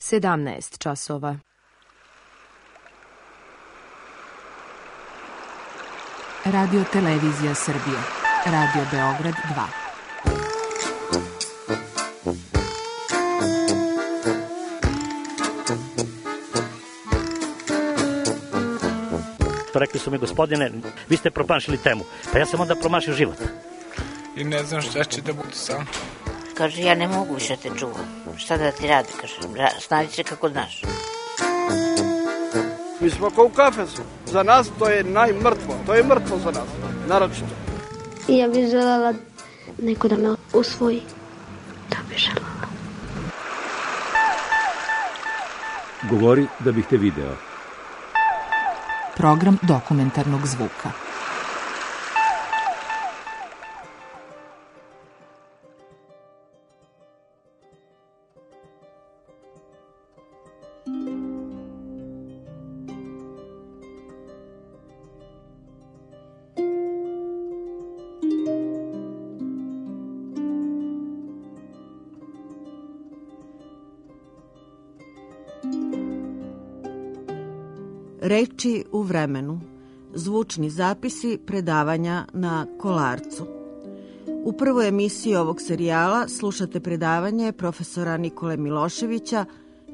17 časova. Radio Televizija Srbije. Radio Beograd 2. Rekli su mi, gospodine, vi ste promašili temu. Pa ja sam onda promašio život. I ne znam šta će da bude sam. Kaže, ja ne mogu više te čuvam. Šta da ti radi, kaže, snađi se kako znaš. Mi smo kao u kafesu. Za nas to je najmrtvo. To je mrtvo za nas, naročito. I ja bih želela neko da me usvoji. To bih želela. Govori da bih te video. Program dokumentarnog zvuka. Reči u vremenu, zvučni zapisi predavanja na Kolarcu. U prvoj emisiji ovog serijala slušate predavanje profesora Nikole Miloševića,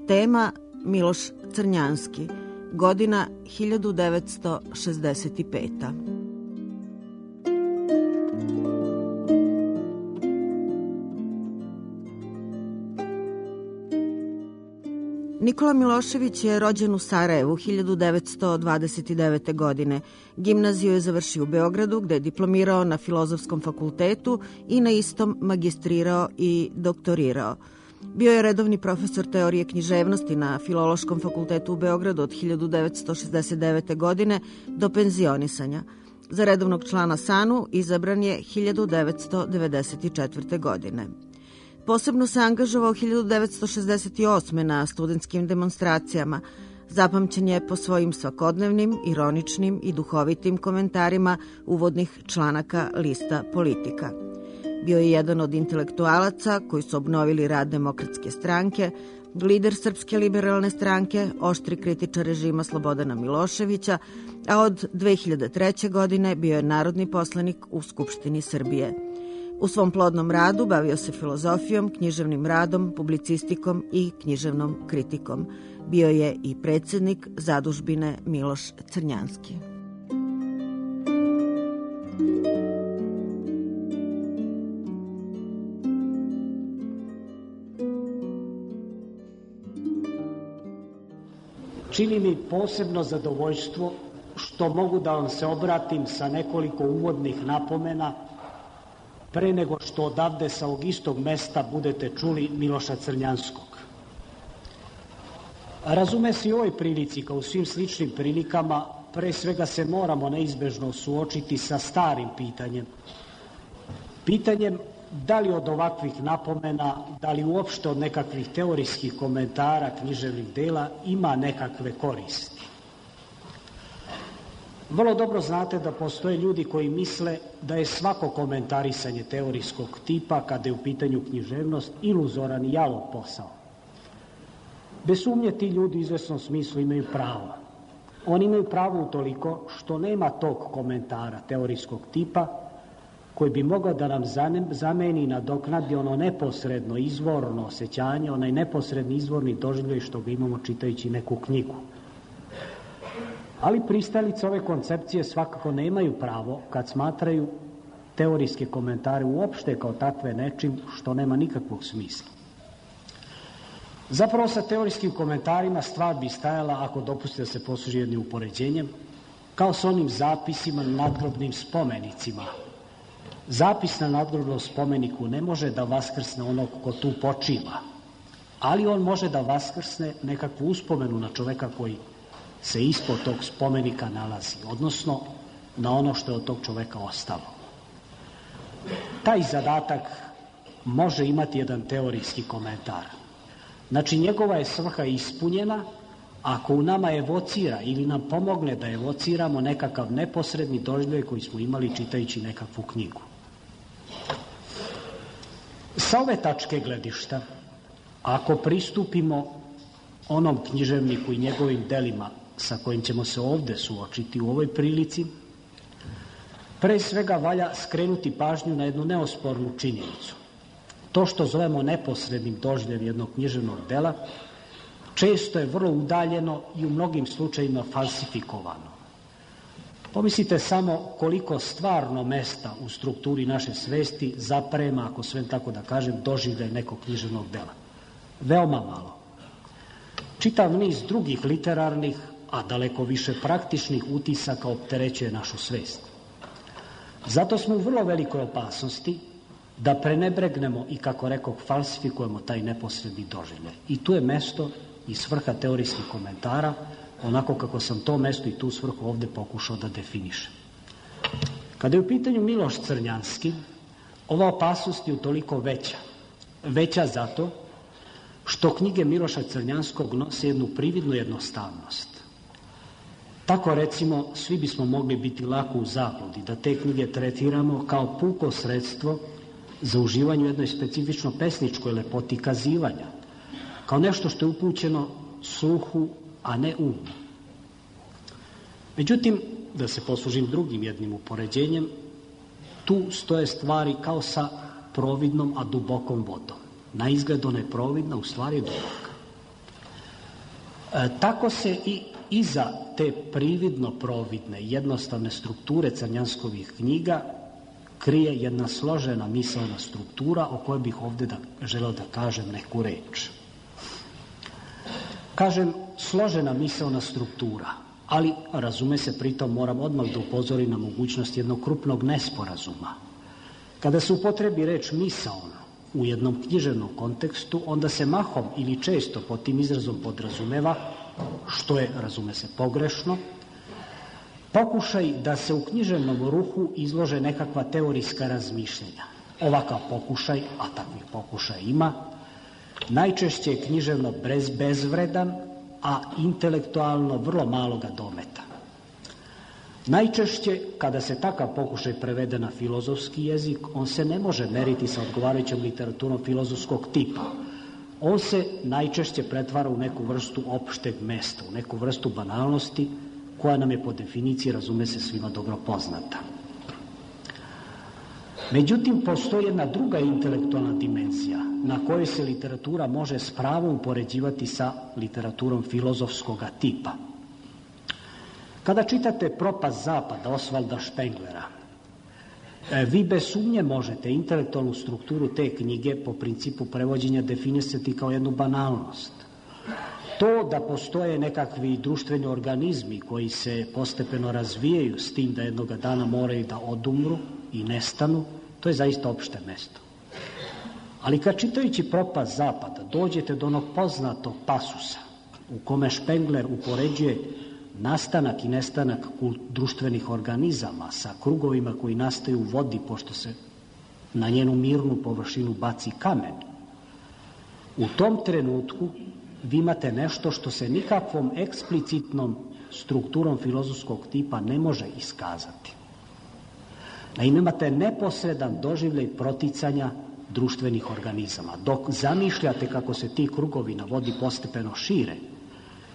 tema Miloš Crnjanski, godina 1965. Nikola Milošević je rođen u Sarajevu 1929. godine. Gimnaziju je završio u Beogradu, gde je diplomirao na Filozofskom fakultetu i na istom magistrirao i doktorirao. Bio je redovni profesor teorije književnosti na Filološkom fakultetu u Beogradu od 1969. godine do penzionisanja. Za redovnog člana SANU izabran je 1994. godine. Posebno se angažovao 1968. na studentskim demonstracijama. Zapamćen je po svojim svakodnevnim, ironičnim i duhovitim komentarima uvodnih članaka lista Politika. Bio je jedan od intelektualaca koji su obnovili rad Demokratske stranke, lider Srpske liberalne stranke, oštri kritičar režima Slobodana Miloševića, a od 2003. godine bio je narodni poslanik u Skupštini Srbije. U svom plodnom radu bavio se filozofijom, književnim radom, publicistikom i književnom kritikom. Bio je i predsjednik zadužbine Miloš Crnjanski. Čini mi posebno zadovoljstvo što mogu da vam se obratim sa nekoliko uvodnih napomena pre nego što odavde sa ovog istog mesta budete čuli Miloša Crnjanskog. Razume se i u ovoj prilici, kao u svim sličnim prilikama, pre svega se moramo neizbežno suočiti sa starim pitanjem. Pitanjem da li od ovakvih napomena, da li uopšte od nekakvih teorijskih komentara književnih dela ima nekakve koristi. Vrlo dobro znate da postoje ljudi koji misle da je svako komentarisanje teorijskog tipa, kada je u pitanju književnost, iluzoran i jalov posao. Bez sumnje ti ljudi u izvesnom smislu imaju pravo. Oni imaju pravo utoliko što nema tog komentara teorijskog tipa koji bi mogao da nam zameni i nadoknadi ono neposredno izvorno osjećanje, onaj neposredni izvorni doživljaj što ga imamo čitajući neku knjigu. Ali pristalice ove koncepcije svakako nemaju pravo kad smatraju teorijske komentare uopšte kao takve nečim što nema nikakvog smisla. Zapravo sa teorijskim komentarima stvar bi stajala, ako dopustite da se posluži jednim upoređenjem, kao sa onim zapisima na nadgrobnim spomenicima. Zapis na nadgrobnom spomeniku ne može da vaskrsne onog ko tu počiva, ali on može da vaskrsne nekakvu uspomenu na čoveka koji se ispod tog spomenika nalazi, odnosno na ono što je od tog čoveka ostalo. Taj zadatak može imati jedan teorijski komentar. Znači, njegova je svrha ispunjena ako u nama evocira ili nam pomogne da evociramo nekakav neposredni doživljaj koji smo imali čitajući nekakvu knjigu. Sa ove tačke gledišta, ako pristupimo onom književniku i njegovim delima sa kojim ćemo se ovde suočiti u ovoj prilici, pre svega valja skrenuti pažnju na jednu neospornu činjenicu. To što zovemo neposrednim doživljem jednog književnog dela često je vrlo udaljeno i u mnogim slučajima falsifikovano. Pomislite samo koliko stvarno mesta u strukturi naše svesti zaprema, ako sve tako da kažem, doživljaj nekog književnog dela. Veoma malo. Čitav niz drugih literarnih, a daleko više praktičnih utisaka opterećuje našu svest. Zato smo u vrlo velikoj opasnosti da prenebregnemo i, kako rekoh, falsifikujemo taj neposredni doživljaj. I tu je mesto i svrha teorijskih komentara, onako kako sam to mesto i tu svrhu ovde pokušao da definišem. Kada je u pitanju Miloš Crnjanski, ova opasnost je utoliko veća. Veća zato što knjige Miloša Crnjanskog nose jednu prividnu jednostavnost. Tako, recimo, svi bismo mogli biti lako u zabludi da te knjige tretiramo kao puko sredstvo za uživanje u jednoj specifično pesničkoj lepoti kazivanja, kao nešto što je upućeno sluhu, a ne umu. Međutim, da se poslužim drugim jednim upoređenjem, tu stoje stvari kao sa providnom, a dubokom vodom. Na izgled ona je providna, u stvari je duboka. Tako se i iza te prividno providne, jednostavne strukture Crnjanskovih knjiga krije jedna složena misaona struktura o kojoj bih ovde želeo da kažem neku reč. Kažem složena misaona struktura, ali razume se, pritom moram odmah da upozorim na mogućnost jednog krupnog nesporazuma. Kada se upotrebi reč misaon u jednom književnom kontekstu, onda se mahom ili često pod tim izrazom podrazumeva, što je, razume se, pogrešno, pokušaj da se u književnom ruhu izlože nekakva teorijska razmišljenja. Ovakav pokušaj, a takvih pokušaja ima, najčešće je književno bezvredan, a intelektualno vrlo maloga dometa. Najčešće, kada se takav pokušaj prevede na filozofski jezik, on se ne može meriti sa odgovarajućom literaturom filozofskog tipa. On se najčešće pretvara u neku vrstu opšteg mesta, u neku vrstu banalnosti, koja nam je po definiciji, razume se, svima dobro poznata. Međutim, postoji jedna druga intelektualna dimenzija na kojoj se literatura može s pravom upoređivati sa literaturom filozofskog tipa. Kada čitate Propast zapada Osvalda Špenglera, vi bez sumnje možete intelektualnu strukturu te knjige po principu prevođenja definisati kao jednu banalnost. To da postoje nekakvi društveni organizmi koji se postepeno razvijaju s tim da jednoga dana moraju da odumru i nestanu, to je zaista opšte mesto. Ali kad čitajući Propast zapada dođete do onog poznatog pasusa u kome Špengler upoređuje nastanak i nestanak društvenih organizama sa krugovima koji nastaju u vodi pošto se na njenu mirnu površinu baci kamen, u tom trenutku vi imate nešto što se nikakvom eksplicitnom strukturom filozofskog tipa ne može iskazati. Naime, imate neposredan doživljaj proticanja društvenih organizama. Dok zamišljate kako se ti krugovi na vodi postepeno šire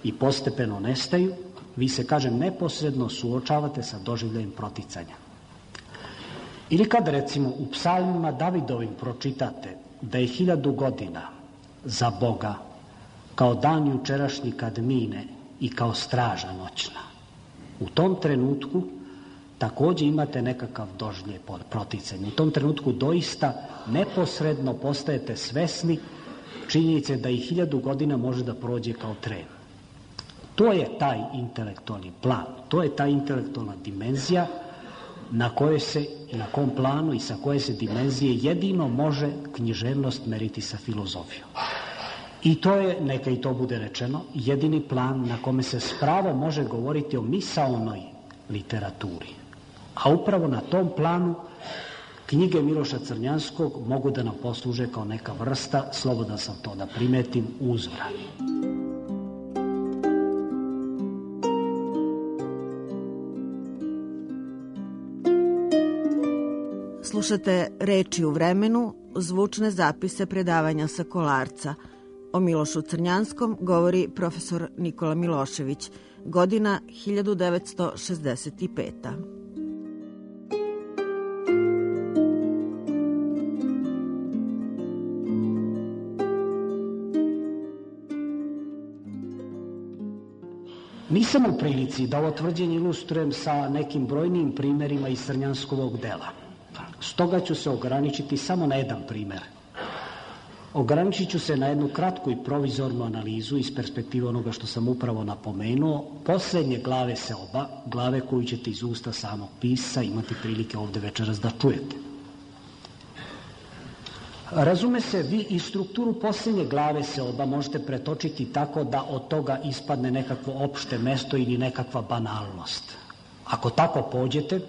i postepeno nestaju, vi se, kažem, neposredno suočavate sa doživljajem proticanja. Ili kad, recimo, u psalmima Davidovim pročitate da je 1000 godina za Boga kao dan jučerašnji kad mine i kao straža noćna. U tom trenutku takođe imate nekakav doživljaj proticanja. U tom trenutku doista neposredno postajete svesni činjenice da i 1000 godina može da prođe kao tren. To je taj intelektualni plan, to je ta intelektualna dimenzija na kojoj se i na kom planu i sa koje se dimenzije jedino može književnost meriti sa filozofijom. I to je, neka i to bude rečeno, jedini plan na kome se s pravom može govoriti o misaonoj literaturi. A upravo na tom planu knjige Miloša Crnjanskog mogu da nam posluže kao neka vrsta, slobodan sam to da primetim, uzora. Slušate Reči u vremenu, zvučne zapise predavanja sa Kolarca. O Milošu Crnjanskom govori profesor Nikola Milošević, godina 1965. Nisam u prilici da ovo tvrđenje ilustrujem sa nekim brojnim primerima iz Crnjanskovog dela. Stoga ću se ograničiti samo na jedan primer. Ograničit ću se na jednu kratku i provizornu analizu iz perspektive onoga što sam upravo napomenuo, posljednje glave seoba, glave koju ćete iz usta samog pisca imati prilike ovde večeras da čujete. Razume se, vi i strukturu posljednje glave seoba možete pretočiti tako da od toga ispadne nekakvo opšte mesto ili nekakva banalnost. Ako tako pođete,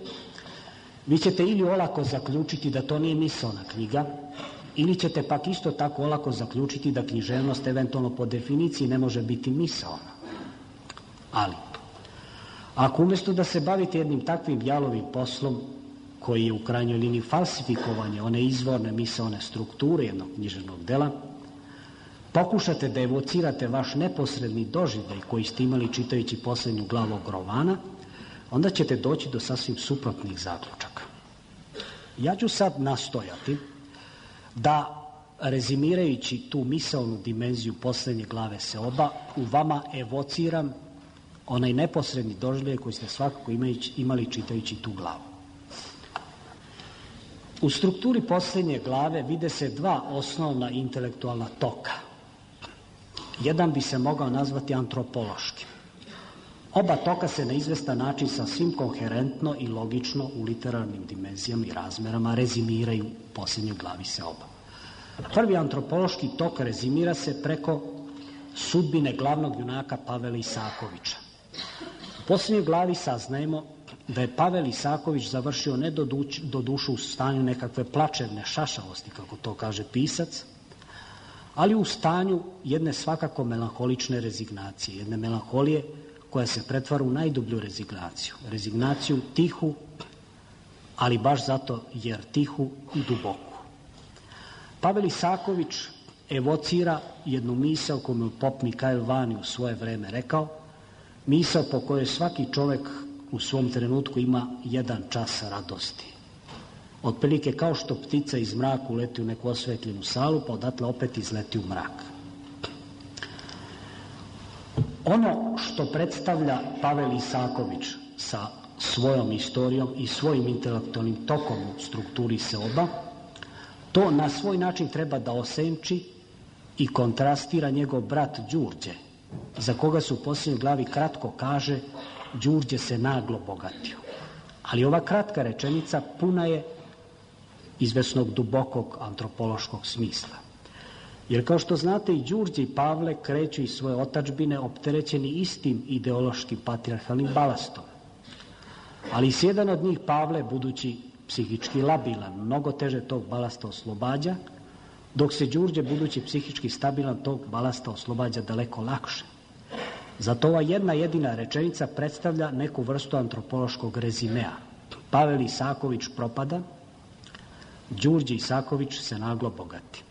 vi ćete ili olako zaključiti da to nije misaona knjiga, ili ćete pak isto tako olako zaključiti da književnost eventualno po definiciji ne može biti misaona. Ali, ako umjesto da se bavite jednim takvim jalovim poslom, koji je u krajnjoj liniji falsifikovanje one izvorne misaone strukture jednog književnog dela, pokušate da evocirate vaš neposredni doživljaj koji ste imali čitajući posljednju glavu ovog romana, onda ćete doći do sasvim suprotnih zaključaka. Ja ću sad nastojati da, rezimirajući tu misaonu dimenziju posljednje glave seoba, u vama evociram onaj neposredni doživljaj koji ste svakako imali čitajući tu glavu. U strukturi posljednje glave vide se dva osnovna intelektualna toka. Jedan bi se mogao nazvati antropološki. Oba toka se na izvestan način sasvim koherentno i logično u literarnim dimenzijama i razmerama rezimiraju u posljednjoj glavi seoba. Prvi antropološki tok rezimira se preko sudbine glavnog junaka Pavela Isakovića. U posljednjoj glavi saznajemo da je Pavel Isaković završio ne do dušu u stanju nekakve plačevne šašavosti, kako to kaže pisac, ali u stanju jedne svakako melanholične rezignacije, jedne melanholije koja se pretvara u najdublju rezignaciju. Rezignaciju tihu, ali baš zato jer tihu i duboku. Pavel Isaković evocira jednu misao koju je pop Mikael Vani u svoje vreme rekao, misao po kojoj svaki čovek u svom trenutku ima jedan čas radosti. Otprilike kao što ptica iz mraka uleti u neku osvetljenu salu, pa odatle opet izleti u mrak. Ono što predstavlja Pavel Isaković sa svojom istorijom i svojim intelektualnim tokom u strukturi seoba, to na svoj način treba da osenči i kontrastira njegov brat Đurđe, za koga se u posljednjoj glavi kratko kaže Đurđe se naglo bogatio. Ali ova kratka rečenica puna je izvesnog dubokog antropološkog smisla. Jer kao što znate i Đurđe i Pavle kreću iz svoje otadžbine opterećeni istim ideološkim patrijarhalnim balastom. Ali s jedan od njih Pavle, budući psihički labilan, mnogo teže tog balasta oslobađa, dok se Đurđe, budući psihički stabilan, tog balasta oslobađa daleko lakše. Zato ova jedna jedina rečenica predstavlja neku vrstu antropološkog rezimea. Pavel Isaković propada, Đurđe Isaković se naglo bogati.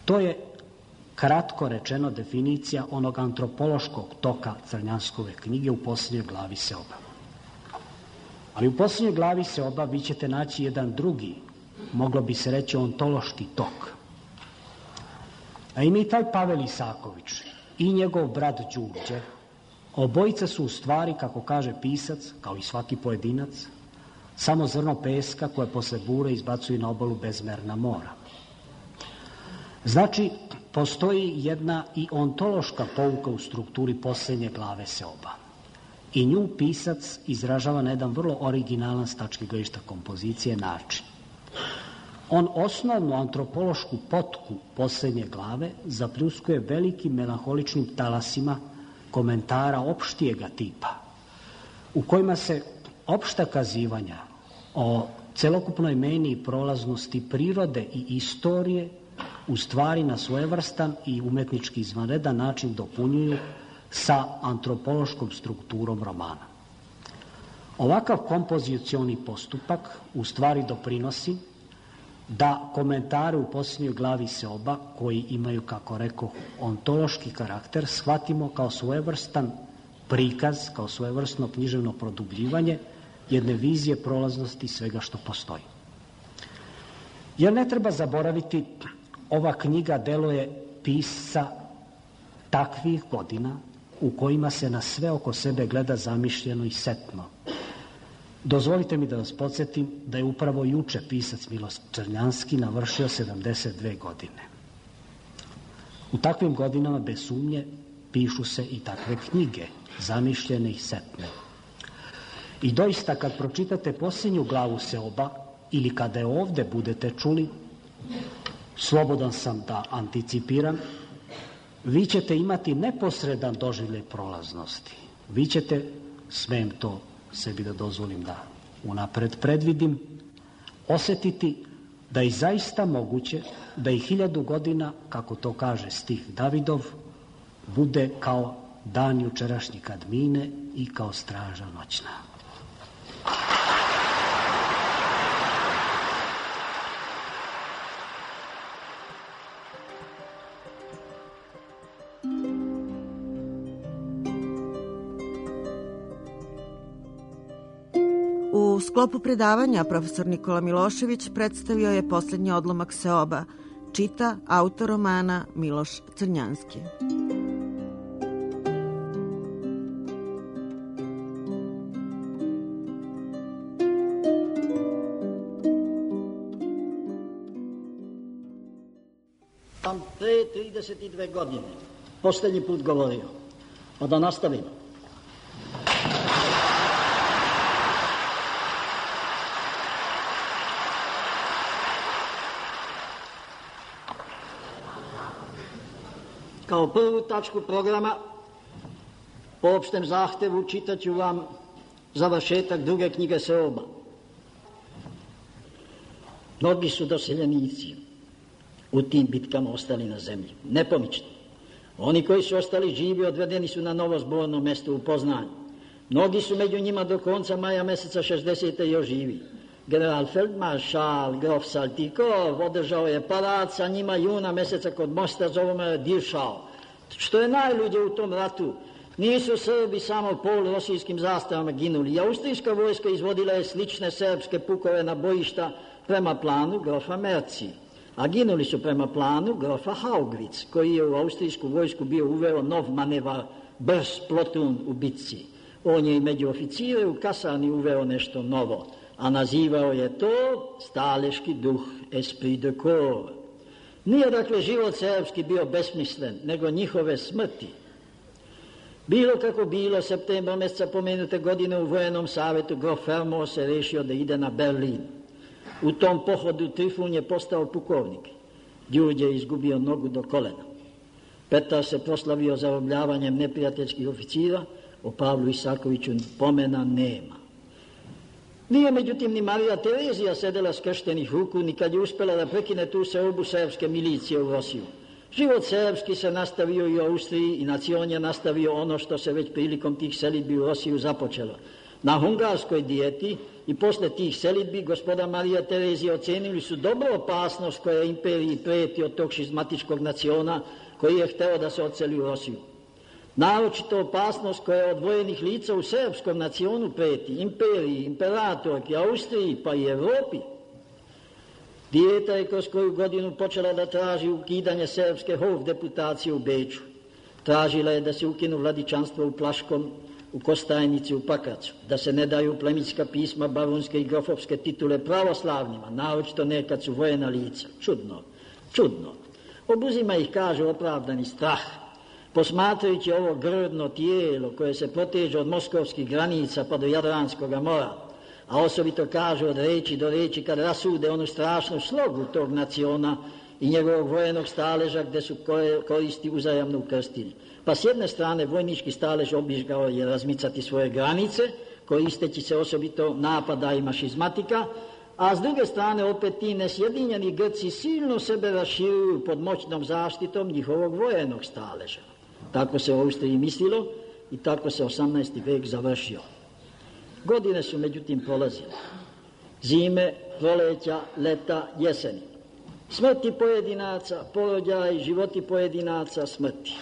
To je kratko rečeno definicija onog antropološkog toka Crnjanskove knjige u posljednjoj glavi seoba. Ali u posljednjoj glavi seoba vi ćete naći jedan drugi, moglo bi se reći ontološki tok. A i taj Pavel Isaković i njegov brat Đurđe, obojica su u stvari, kako kaže pisac, kao i svaki pojedinac, samo zrno peska koje posle bure izbacuju na obalu bezmerna mora. Znači, postoji jedna i ontološka pouka u strukturi posljednje glave seoba. I nju pisac izražava na jedan vrlo originalan s tačke gledišta kompozicije način. On osnovnu antropološku potku posljednje glave zapljuskuje velikim melanholičnim talasima komentara opštijega tipa, u kojima se opšta kazivanja o celokupnoj meni i prolaznosti prirode i istorije u stvari na svojevrstan i umetnički izvanredan način dopunjuju sa antropološkom strukturom romana. Ovakav kompozicioni postupak u stvari doprinosi da komentare u posljednjoj glavi seoba, koji imaju, kako rekao, ontološki karakter, shvatimo kao svojevrstan prikaz, kao svojevrsno književno produbljivanje jedne vizije prolaznosti svega što postoji. Jer ne treba zaboraviti, ova knjiga delo je pisca takvih godina u kojima se na sve oko sebe gleda zamišljeno i setno. Dozvolite mi da vas podsjetim da je upravo juče pisac Miloš Crnjanski navršio 72 godine. U takvim godinama, bez sumnje, pišu se i takve knjige, zamišljene i setne. I doista, kad pročitate posljednju glavu seoba, ili kada je ovde budete čuli, slobodan sam da anticipiram, vi ćete imati neposredan doživljaj prolaznosti. Vi ćete, smem to sebi da dozvolim da unapred predvidim, osetiti da je zaista moguće da i 1000 godina, kako to kaže stih Davidov, bude kao dan jučerašnji kad mine i kao straža noćna. U sklopu predavanja profesor Nikola Milošević predstavio je posljednji odlomak seoba, čita autor romana Miloš Crnjanski. Sam pre 32 godine posljednji put govorio, pa da nastavimo. Kao prvu tačku programa, po opštem zahtevu, čitat ću vam završetak druge knjige seoba. Mnogi su doseljenici u tim bitkama ostali na zemlji, nepomični. Oni koji su ostali živi odvedeni su na novo zborno mesto u Poznanju. Mnogi su među njima do konca maja meseca 60. još živi. General feldmaršal grof Saltikov održao je parad sa njima juna meseca kod mosta, zovemo Diršao. Što je najluđe u tom ratu, nisu Srbi samo polurosijskim zastavama ginuli. Austrijska vojska izvodila je slične srpske pukove na bojišta prema planu grofa Merci, a ginuli su prema planu grofa Haugwitz, koji je u austrijsku vojsku bio uveo nov manevar brz plotun u bitci. On je i među oficire u kasarni uveo nešto novo, a nazivao je to staleški duh, esprit de corps. Nije dakle život srpski bio besmislen, nego njihove smrti. Bilo kako bilo, septembra meseca pomenute godine u Vojenom savetu grof Fermor se rešio da ide na Berlin. U tom pohodu Trifun je postao pukovnik. Đurđe je izgubio nogu do kolena. Petar se proslavio zarobljavanjem neprijateljskih oficira, o Pavlu Isakoviću pomena nema. Nije međutim ni Marija Terezija sedela skrštenih ruku, ni kad je uspela da prekine tu seobu srpske milicije u Rosiju. Život srpski se nastavio i u Austriji i nacion je nastavio ono što se već prilikom tih selidbi u Rosiju započelo. Na hungarskoj dijeti i posle tih selidbi gospoda Marija Terezija ocenili su dobro opasnost koja imperiji preti od tog šizmatičkog naciona koji je hteo da se odseli u Rosiju. Naročito opasnost koja od vojenih lica u srpskom nacionu preti, imperiji, imperatorki, Austriji pa i Evropi. Dijeta je kroz koju godinu počela da traži ukidanje srpske hofdeputacije u Beču. Tražila je da se ukinu vladičanstvo u Plaškom, u Kostajnici, u Pakracu, da se ne daju plemitska pisma, barunske i grofovske titule pravoslavnima, naročito nekad su vojena lica. Čudno. Obuzima ih, kaže, opravdani strah. Posmatrajući ovo grdno tijelo koje se proteže od moskovskih granica pa do Jadranskog mora, a osobito kaže od reči do reči kad rasude onu strašnu slogu tog naciona i njegovog vojenog staleža gde su koristi uzajamno ukrstili. Pa s jedne strane vojnički stalež obižgao je razmicati svoje granice, koristeći se osobito napadajima šizmatika, a s druge strane opet ti nesjedinjeni Grci silno sebe raširuju pod moćnom zaštitom njihovog vojenog staleža. Tako se u Austriji mislilo i tako se 18. vek završio. Godine su međutim prolazile. Zime, proleća, leta, jeseni. Smrti pojedinaca, porođaj, životi pojedinaca, smrti.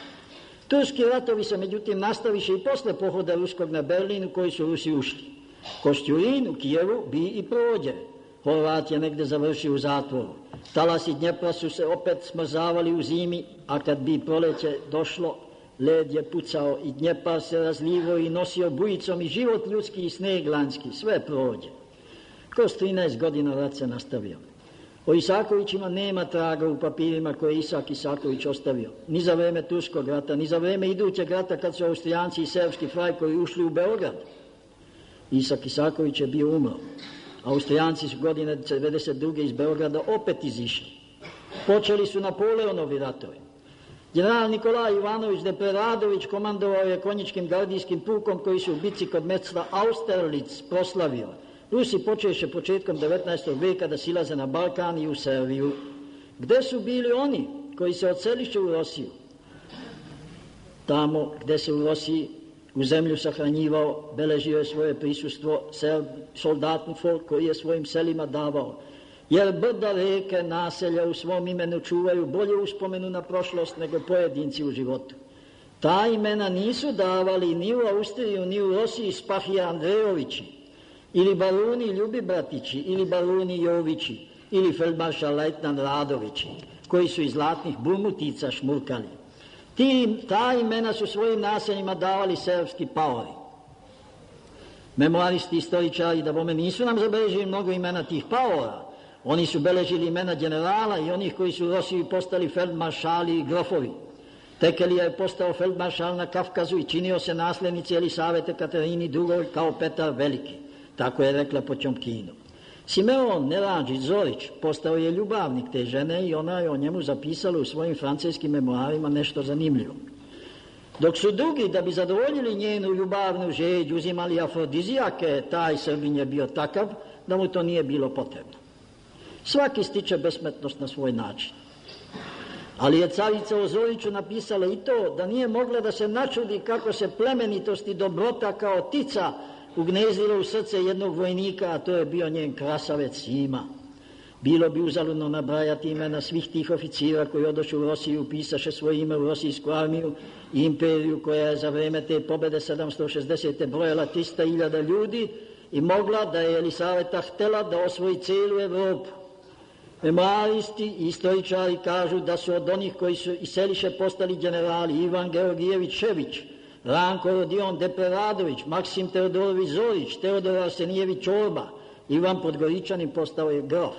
Turski ratovi se međutim nastaviše i posle pohoda ruskog na Berlin u koji su Rusi ušli. Košćurin u Kijevu bi i prođe. Horvat je negde završio u zatvoru. Talasi Dnjepra su se opet smrzavali u zimi, a kad bi proleće došlo, led je pucao i Dnjepar se razlivao i nosio bujicom i život ljudski i sneg lanjski. Sve prođe. Kroz 13 godina rat se nastavio. O Isakovićima nema traga u papirima koje je Isak Isaković ostavio. Ni za vreme Turskog rata, ni za vreme idućeg rata kad su Austrijanci i serbski frajkovi ušli u Beograd. Isak Isaković je bio umro. Austrijanci su godine 1992. iz Beograda opet izišli. Počeli su Napoleonovi ratovi. General Nikolaj Ivanović Depreradović komandovao je konjičkim gardijskim pukom koji su u bici kod mesta Austerlitz proslavio. Rusi počeše početkom 19. veka da silaze na Balkan i u Serviju. Gde su bili oni koji se odseliše u Rosiju? Tamo gde se u Rosiji u zemlju sahranjivao, beležio je svoje prisustvo soldatni folk koji je svojim selima davao. Jer brda, reke, naselja u svom imenu čuvaju bolje uspomenu na prošlost nego pojedinci u životu. Ta imena nisu davali ni u Austriju, ni u Rosiji Spahija Andrejovići, ili baruni Ljubibratići, ili baruni Jovići, ili feldmaršal lejtnant Radovići, koji su iz zlatnih burmutica šmurkali. Ta imena su svojim naseljima davali serbski paori. Memoaristi, istoričari, da bome nisu nam zabeležili mnogo imena tih paora. Oni su beležili imena generala i onih koji su u Rosiji postali feldmaršali i grofovi. Tekelija je postao feldmaršal na Kafkazu i činio se naslednici Elisavete Katerini II kao Petar Veliki. Tako je rekla Poćomkinu. Simeon Neradžić Zorić postao je ljubavnik te žene i ona je o njemu zapisala u svojim francuskim memoarima nešto zanimljivo. Dok su drugi, da bi zadovoljili njenu ljubavnu žeđ, uzimali afrodizijake, taj Srbin je bio takav da mu to nije bilo potrebno. Svaki stiče besmrtnost na svoj način. Ali je carica o Zoriću napisala i to da nije mogla da se načudi kako se plemenitost i dobrota kao tica ugnezdilo u srce jednog vojnika, a to je bio njen krasavec Sima. Bilo bi uzaludno nabrajati imena svih tih oficira koji odošu u Rosiju, upisaše svoje ime u Rosijsku armiju i imperiju koja je za vreme te pobede 760. brojala 300.000 ljudi i mogla da je Elisaveta htela da osvoji celu Evropu. Memoaristi i istoričari kažu da su od onih koji su iseliše postali generali Ivan Georgijević Šević, Ranko Rodion Depreradović, Maksim Teodorović Zorić, Teodor Arsenijević Čorba, Ivan Podgoričanin postao je grof.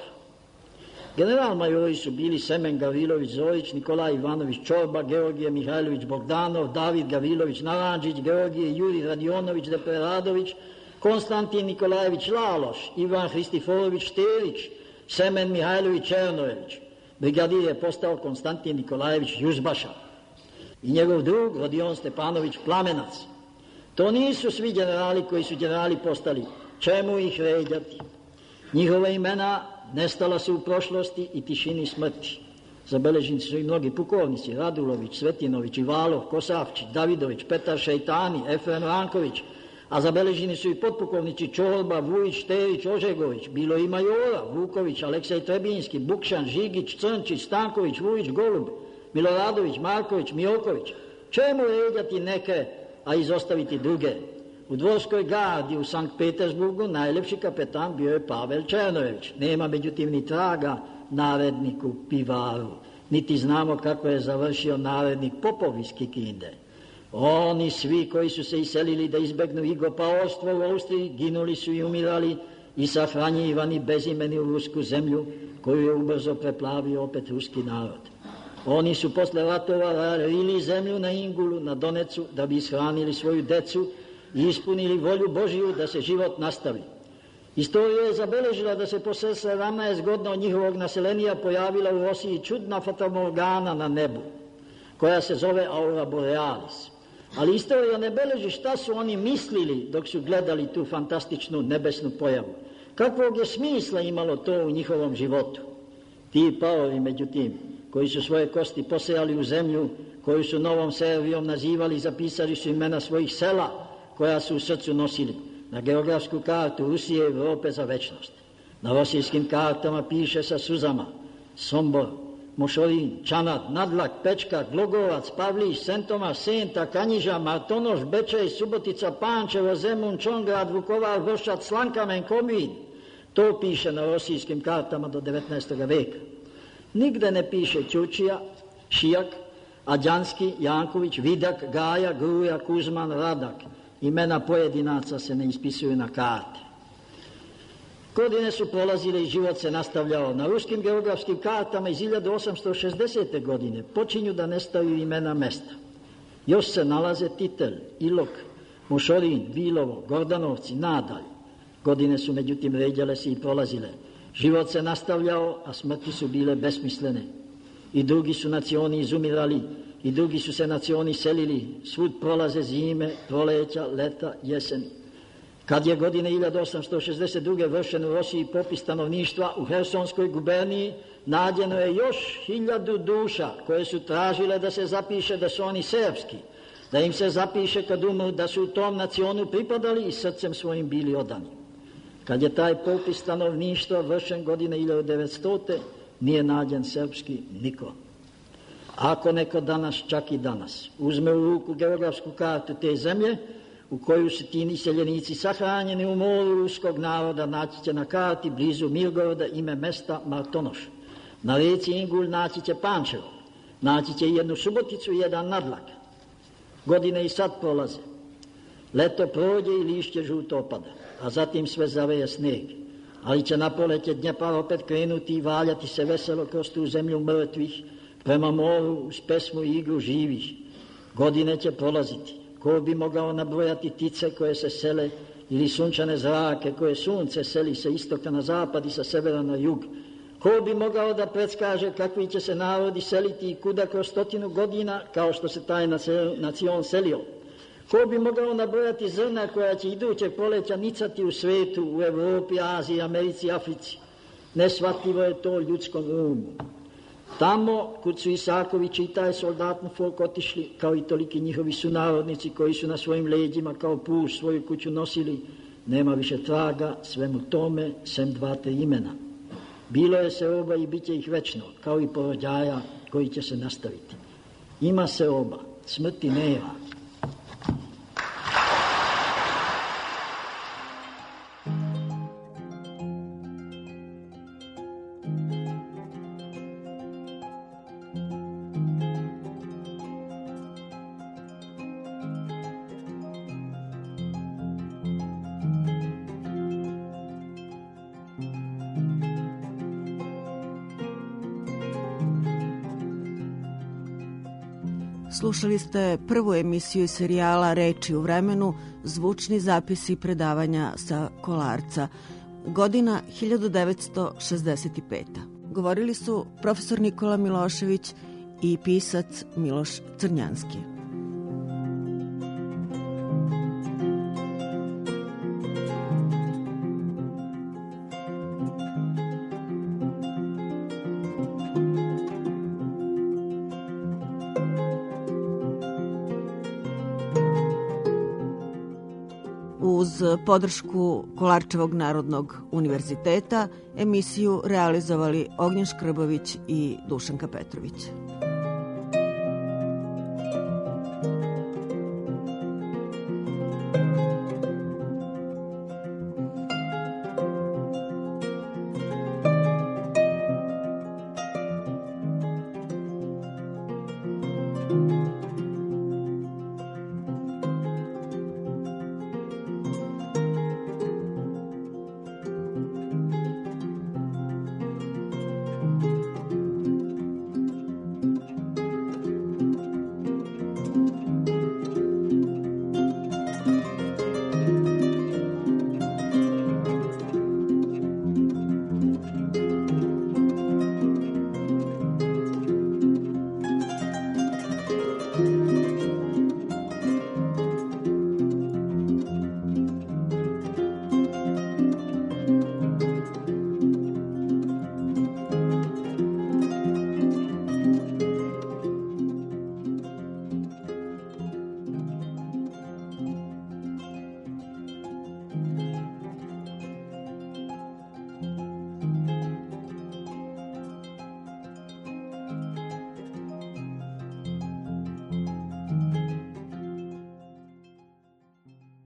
General majori su bili Semen Gavrilović Zorić, Nikolaj Ivanović Čorba, Georgije Mihajlović Bogdanov, David Gavrilović Naranđić, Georgije Juri Radionović Depreradović, Konstantin Nikolajević Laloš, Ivan Hristiforović Šterić, Semen Mihajlović Černojević. Brigadir je postao Konstantin Nikolajević Juzbaša i njegov drug Rodion Stepanović Plamenac. To nisu svi generali koji su generali postali. Čemu ih ređati? Njihova imena nestala su u prošlosti i tišini smrti. Zabeleženi su i mnogi pukovnici, Radulović, Svetinović, Ivalov, Kosavčić, Davidović, Petar Šejtani, Efrem Ranković, a zabeleženi su i potpukovnici Čorba, Vujić, Šterić, Ožegović, bilo i majora, Vuković, Aleksej Trebinski, Bukšan, Žigić, Crnčić, Stanković, Vujić, Golub, Miloradović, Marković, Mijoković. Čemu ređati neke, a izostaviti druge? U dvorskoj gardi u Sankt Petersburgu najlepši kapetan bio je Pavel Černojević. Nema međutim ni traga naredniku Pivaru, niti znamo kako je završio narednik Popov iz Kikinde. Oni svi koji su se iselili da izbegnu igopaorstvo u Austriji, ginuli su i umirali i sahranjivani bezimeni u rusku zemlju, koju je ubrzo preplavio opet ruski narod. Oni su posle ratova rili zemlju na Ingulu, na Donecu, da bi ishranili svoju decu i ispunili volju Božiju da se život nastavi. Istorija je zabeležila da se posle 17 godina od njihovog naselenija pojavila u Rosiji čudna fatamorgana na nebu, koja se zove Aurora Borealis. Ali istorija ne beleži šta su oni mislili dok su gledali tu fantastičnu nebesnu pojavu. Kakvog je smisla imalo to u njihovom životu? Ti paori, međutim, koji su svoje kosti posejali u zemlju, koju su Novom Servijom nazivali, zapisali su imena svojih sela, koja su u srcu nosili na geografsku kartu Rusije i Evrope za večnost. Na rosijskim kartama piše sa suzama Sombor, Mošorin, Čanad, Nadlak, Pečka, Glogovac, Pavlić, Sentoma, Senta, Kanjiža, Martonoš, Bečej, Subotica, Pančevo, Zemun, Čongrad, Vukovar, Vršac, Slankamen, Komin. To piše na rosijskim kartama do 19. veka. Nigde ne piše Ćurčija, Šijak, Ađanski, Janković, Vidak, Gaja, Gruja, Kuzman, Radak. Imena pojedinaca se ne ispisuju na karte. Godine su prolazile i život se nastavljao. Na ruskim geografskim kartama iz 1860. godine počinju da nestaju imena mesta. Još se nalaze Titel, Ilok, Mošorin, Vilovo, Gordanovci, nadalje. Godine su međutim ređale se i prolazile. Život se nastavljao, a smrti su bile besmislene. I drugi su nacioni izumirali, i drugi su se nacioni selili. Svud prolaze zime, proleća, leta, jeseni. Kad je godine 1862. vršen u Rosiji popis stanovništva u Hersonskoj guberniji, nađeno je još 1000 duša koje su tražile da se zapiše da su oni srpski, da im se zapiše kad umru da su u tom nacionu pripadali i srcem svojim bili odani. Kad je taj popis stanovništva vršen godine 1900. nije nađen srpski niko. Ako neko danas, čak i danas, uzme u ruku geografsku kartu te zemlje, u koju su ti iseljenici sahranjeni u moru ruskog naroda, naći će na karti blizu Mirgoroda ime mesta Martonoš. Na reci Ingulj naći će Pančevo, naći će jednu Suboticu i jedan Nadlak. Godine i sad prolaze. Leto prođe i lišće žuto opada, a zatim sve zaveje sneg. Ali će na proleće Dnjepar opet krenuti i valjati se veselo kroz tu zemlju mrtvih, prema moru uz pesmu i igru živih. Godine će prolaziti. Ko bi mogao nabrojati ptice koje se sele ili sunčane zrake koje sunce seli sa istoka na zapad i sa severa na jug? Ko bi mogao da predskaže kakvi će se narodi seliti i kuda kroz 100 godina kao što se taj nacion selio? Ko bi mogao nabrojati zrna koja će idućeg proleća nicati u svetu, u Evropi, Aziji, Americi, Africi? Neshvatljivo je to ljudskom umu. Tamo, kud su Isakovići i taj soldatni folk otišli, kao i toliki njihovi sunarodnici koji su na svojim leđima kao puš svoju kuću nosili, nema više traga svemu tome, sem 2-3 imena. Bilo je seoba i bit će ih večno, kao i porođaja koji će se nastaviti. Ima seoba, smrti nema. Slušali ste prvu emisiju iz serijala Reči u vremenu, zvučni zapisi predavanja sa Kolarca. Godina 1965. Govorili su profesor Nikola Milošević i pisac Miloš Crnjanski. Uz podršku Kolarčevog narodnog univerziteta emisiju realizovali Ognjen Škrbović i Dušanka Petrović.